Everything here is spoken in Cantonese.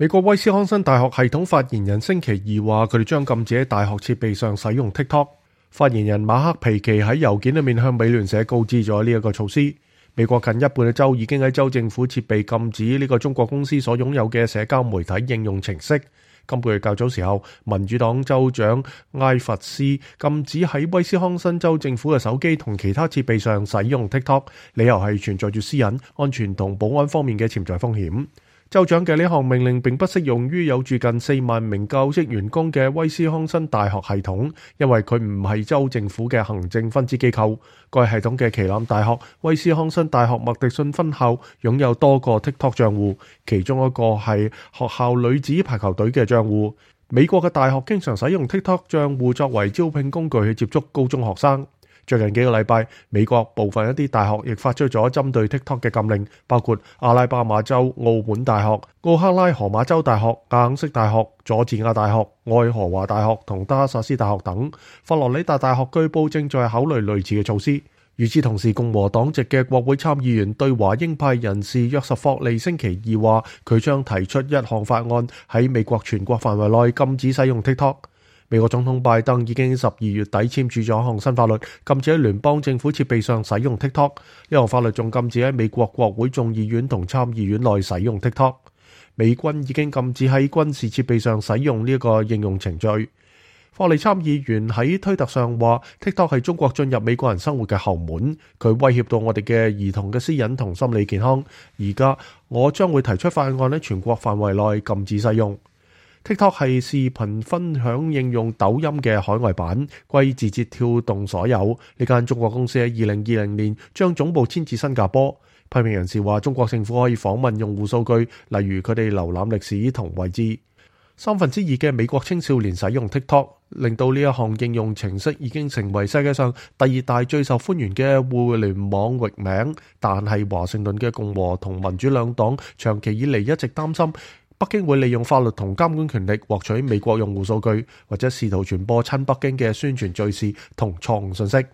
美國威斯康辛大學系統發言人星期二話，佢哋將禁止喺大學設備上使用 TikTok。發言人馬克皮奇喺郵件裏面向美聯社告知咗呢一個措施。美國近一半嘅州已經喺州政府設備禁止呢個中國公司所擁有嘅社交媒體應用程式。今個月較早時候，民主黨州長埃弗斯禁止喺威斯康辛州政府嘅手機同其他設備上使用 TikTok， 理由係存在住私隱、安全同保安方面嘅潛在風險。州長嘅呢項命令並不適用於有住近4萬名教職員工嘅威斯康辛大學系統，因為佢唔係州政府嘅行政分支機構。該系統嘅旗艦大學威斯康辛大學麥迪遜分校擁有多個 TikTok 賬戶，其中一個係學校女子排球隊嘅賬戶。美國嘅大學經常使用 TikTok 賬戶作為招聘工具去接觸高中學生。最近幾個禮拜，美國部分一啲大學亦發出咗針對 TikTok 嘅禁令，包括阿拉巴馬州奧本大學、奧克拉荷馬州大學、亞肯色大學、佐治亞大學、愛荷華大學同德克薩斯大學等。佛羅里達大學據報正在考慮類似嘅措施。與此同時，共和黨籍嘅國會參議員對華鷹派人士約什霍利星期二話，佢將提出一項法案喺美國全國範圍內禁止使用 TikTok。美國總統拜登已經12月底簽署咗一項新法律，禁止喺聯邦政府設備上使用 TikTok。呢項法律仲禁止喺美國國會眾議院同參議院內使用 TikTok。美軍已經禁止喺軍事設備上使用呢一個應用程序。霍利參議員喺推特上話 ，TikTok 係中國進入美國人生活嘅後門，佢威脅到我哋嘅兒童嘅私隱同心理健康。而家我將會提出法案喺全國範圍內禁止使用。TikTok 係視頻分享應用抖音嘅海外版，歸字節跳動所有。呢間中國公司喺2020年將總部遷至新加坡。批評人士話，中國政府可以訪問用戶數據，例如佢哋瀏覽歷史同位置。2/3嘅美國青少年使用 TikTok， 令到呢一項應用程式已經成為世界上第2大最受歡迎嘅互聯網域名。但係華盛頓嘅共和同民主兩黨長期以嚟一直擔心，北京會利用法律同監管權力獲取美國用戶數據，或者試圖傳播親北京嘅宣傳敘事同錯誤信息。